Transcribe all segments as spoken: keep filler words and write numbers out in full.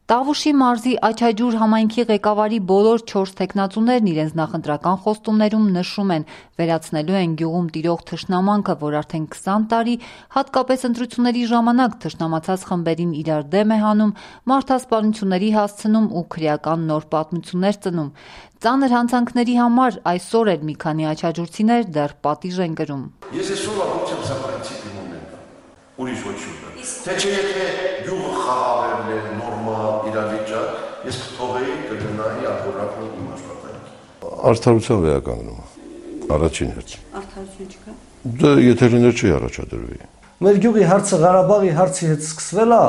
Տավուշի մարզի Աչաջուր համայնքի ղեկավարի բոլոր չորս թեկնածուներն իրենց նախընտրական խոստումներում նշում են, վերացնելու են գյուղում տիրող թշնամանքը, որ արդեն քսան տարի, հատկապես ընտրությունների ժամանակ թշնամացած խմբերին իրար դեմ է հանում, մարդասպանությունների հասցնում ու քրեական նոր պատմություններ ծնում։ Ծանր հանցանքների համար այսօր էլ մի քանի աչաջուրցիներ դեռ պատիժ են կրում։ Ես այսօր ապուչեմ սա պրինցիպի մոմենտ, ուրիշ ոչ ուտը։ Թե չէ եթե գյուղը խաղաղել է, նորմալ իրավիճակ, ես կթողեի կգնայի ակուրակն իմ աշխատանքի։ Արդարության վերականգնումը, առաջին հերթին։ Արդարություն չկա։ Դա եթե լիներ չի առաջադրվի։ Մեր գյուղի հարցը Ղարաբաղի հարցի հետ սկսվել է,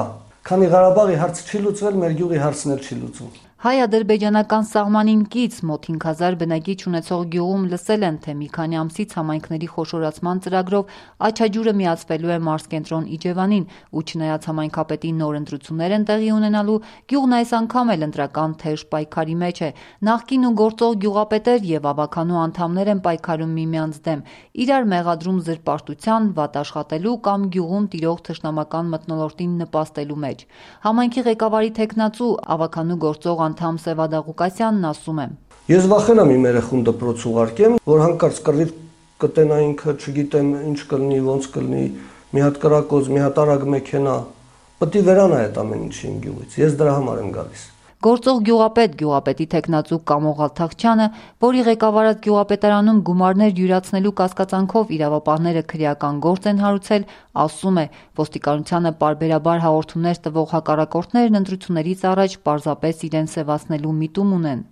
քանի Ղարաբաղի հարցը չի լուծվել, մեր գյուղի հարցն էլ չի լուծվում։ Հայ-ադրբեջանական սահմանին կից մոտ հինգ հազար բնակիչ ունեցող գյուղում լսել են, թե մի քանի ամսից համայնքների խոշորացման ծրագրով Աչաջուրը միացվելու է մարզկենտրոն Իջևանին, ու չնայած համայնքապետի նոր ընտրություններ են տեղի ունենալու, գյուղն այս անգամ էլ ընտրական թեժ պայքարի մեջ է։ Նախկին ու գործող գյուղապետեր եւ ավականու անդամներ են պայքարում միմյանց դեմ, իրար մեղադրում զրպարտության, վատ աշխատելու կամ գյուղում տիրող թշնամական մթնոլորտին նպաստելու մեջ։ Համայնքի ղեկավարի թեկնածու ավականու գործող անդամ Սևադա Ղուկասյանն ասում է. Ես վախենամ իմ երեխուն դպրոց ուղարկեմ, որ հանկարծ կռիվ կտենա ինքը, չգիտեմ ինչ կլինի, ոնց կլինի, մի հատ կրակոց, մի հատ արագ մեքենա, պետք է վերանա այդ ամեն ինչի իմ գյուղից։ Ես դրա համար եմ գալիս։ Գործող գյուղապետ, գյուղապետի թեկնածու Կամո Ղալթախչյանը, որի ղեկավարած գյուղապետարանում գումարներ յուրացնելու կասկածանքով իրավապահները քրեական գործ են հարուցել, ասում է, ոստիկանությանը պարբերաբար հաղորդումներ տվող հակառակորդներն ընտրություններից առաջ պարզապես իրեն սևացնելու միտում ունեն։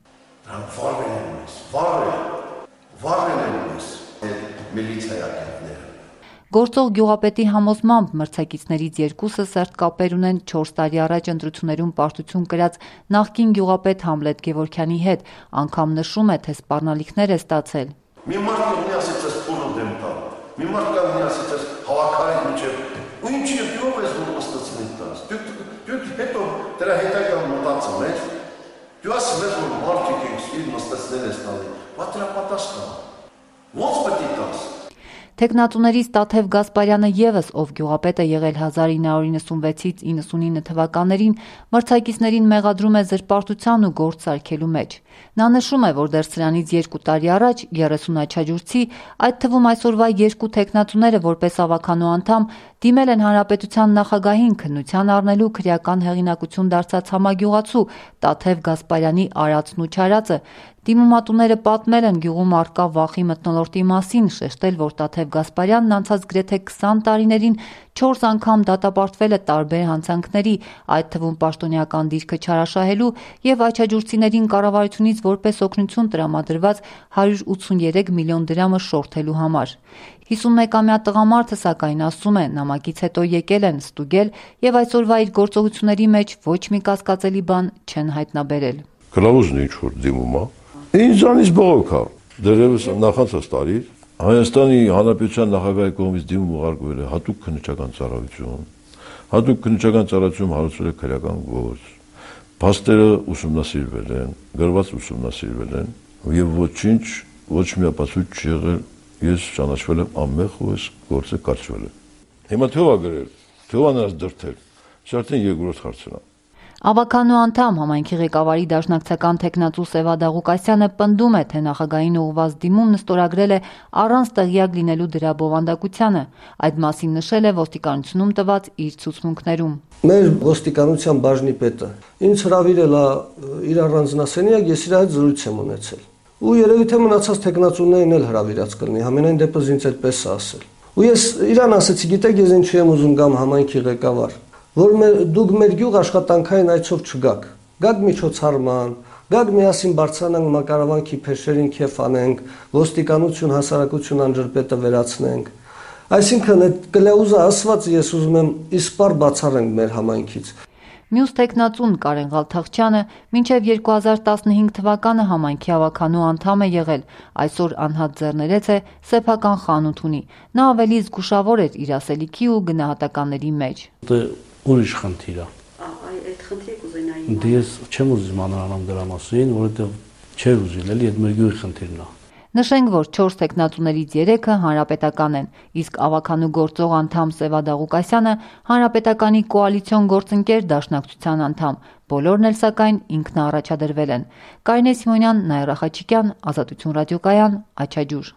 Վարվել են մեզ, վարվել, վարվել են մեզ, միլիցիայակետները։ Գործող գյուղապետի համոզմամբ մրցակիցներից երկուսը սերտ կապեր ունեն չորս տարի առաջ ընտրություններում պարտություն կրած նախկին գյուղապետ Համլետ Գևորգյանի հետ, անգամ նշում է, թե սպառնալիքներ է ստացել։ Մի մարդ կողնի ասեց ես փորը դեմ տալ, մի մարդ կողնի ասեց ես հավաքարի միջև, ու ինչի ով ես որ մստացնի տաս, դուք հետո դրա հետագան մտածում ես, դու ասում ես որ մարդիկ ես իր մստացնել ես տալի, բա դրա պատասխան, ոնց պետք է տաս։ Թեկնածուներից Տաթև Գասպարյանը ևս, ով գյուղապետ է եղել հազար ինը հարյուր իննսունվեցից իննսունինը թվականներին, մրցակիցներին մեղադրում է զրպարտության ու գործ սարքելու մեջ։ Նա նշում է, որ դեռ սրանից երկու տարի առաջ երեսուն աչաջուրցի, այդ թվում այսօրվա երկու թեկնածուները որպես ավականու անդամ դիմել են հանրապետության նախագահին քննության առնելու քրեական հեղինակություն դարձած համագյուղացու Տաթև Գասպարյանի արածն ու չարածը։ Դիմումատուները պատմել են գյուղում առկա վախի մթնոլորտի մասին, շեշտել, որ Տաթև Գասպարյանն անցած գրեթե քսան տարիներին չորս անգամ դատապարտվել է տարբեր հանցանքների, այդ թվում պաշտոնեական դիրքը չարաշահելու եւ աչաջուրցիներին կառավարությունից որպես օգնություն տրամադրված հարյուր ութսուներեք միլիոն դրամը շորթելու համար։ հիսունմեկամյա տղամարդը սակայն ասում է, նամակից հետո եկել են ստուգել եւ այսօրվա իր գործողությունների մեջ ոչ մի կասկածելի բան չեն հայտնաբերել։ Կլավուզն ինչ որ դիմում է, ինձանից բողոք է, դերևս նախանցած տարի Հայաստանի Հանրապետության նախագահի կողմից դիմում ուղարկվել է հատուկ քննչական ծառայություն, հատուկ քննչական ծառայություն հարուցվել է քրեական գործ, փաստերը ուսումնասիրվել են, գրված ուսումնասիրվել են եւ ոչինչ, ոչ մի ապացույց չի եղել, ես ճանաչվել եմ անմեղ ու այս գործը կատարվել է։ Հիմա թող է գրել, թող է նրանց դրդել, սա արդեն երկրորդ հարցն է։ Ավականու անդամ համայնքի ղեկավարի դաշնակցական թեկնածու Սևադա Ղուկասյանը պնդում է, թե նախագահին ուղղված դիմումն ստորագրել է առանց տեղյակ լինելու դրա բովանդակությանը։ Այդ մասին նշել է ոստիկանությունում տված իր ցուցմունքներում։ Մեր ոստիկանության բաժնի պետը ինձ հրավիրել է իր առանձնասենյակ, ես իր հետ զրույց եմ ունեցել։ Ու երևի թե մնացած թեկնածուներին էլ հրավիրած կլինի, համենայն դեպս ինձ այդպես է ասել։ Ու ես իրան ասեցի, գիտեք, ես ինչու եմ ուզում գամ համայնքի ղեկավար, որ դուք մեր գյուղ աշխատանքային այցով չգաք, գաք միջոցառման, գաք միասին բարձրանանք մակարավանքի փեշերին քեֆ անենք, ոստիկանություն, հասարակություն անջրպետը վերացնենք։ Այսինքն այդ կլեուզը ասված ես ուզում եմ իսպար բացառենք մեր համայնքից։ Մյուս թեկնածուն Կարեն Ղալթախչյանը մինչև երկու հազար տասնհինգ թվականը համայնքի ավականու անդամ է եղել, այսօր անհատ ձեռներեց է, սեփական խանութ ունի։ Նա ավելի զգուշավոր էր իր ասելիքի ու գնահատականների մեջ։ Ուրիշ խնդիր է։ Այդ խնդիրը կուզենայի։ Դե ես չեմ ուզում մանրանամ դրա մասին, որովհետև չէր ուզիլ, էլի այդ մեր գյուղի խնդիրն է։ Նշենք, որ չորս թեկնածուներից երեքը հանրապետական են, իսկ ավագանու գործող անդամ Սևադա Ղուկասյանը հանրապետականի կոալիցիոն գործընկեր դաշնակցության անդամ, բոլորն էլ սակայն ինքնաառաջադրվել են։ Կարինե Սիմոնյան, Նաիրա Խաչիկյան, Ազատություն ռադիոկայան, Աչաջուր։